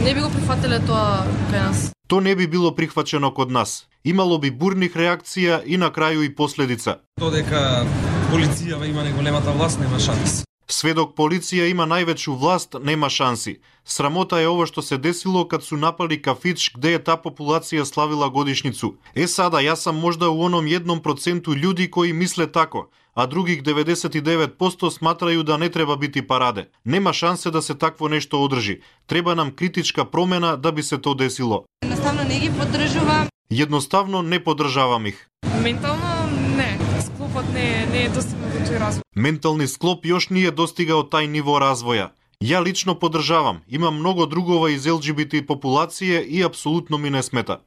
Не би го прифатиле тоа кај нас. То не би било прихвачено код нас. Имало би бурних реакција и на крају и последица. Додека полицијава има најголемата власт, нема шанс. Сведок полиција има највеќу власт, нема шанси. Срамота е ово што се десило кад су напали кафич где е таа популација славила годишницу. Сада, јас сам можда у оном 1% луѓи кои мисле тако, а других 99% сматрају да не треба бити параде. Нема шансе да се такво нешто одржи. Треба нам критичка промена да би се то десило. Едноставно не ги поддржувам. Едноставно не поддржавам их. Ментално не. Склопот не е достигнат до тој развој. Ментални склоп још не е достигал тај ниво развоја. Ја лично поддржавам. Имам многу другова из ЛГБТ популација и апсолутно ми не смета.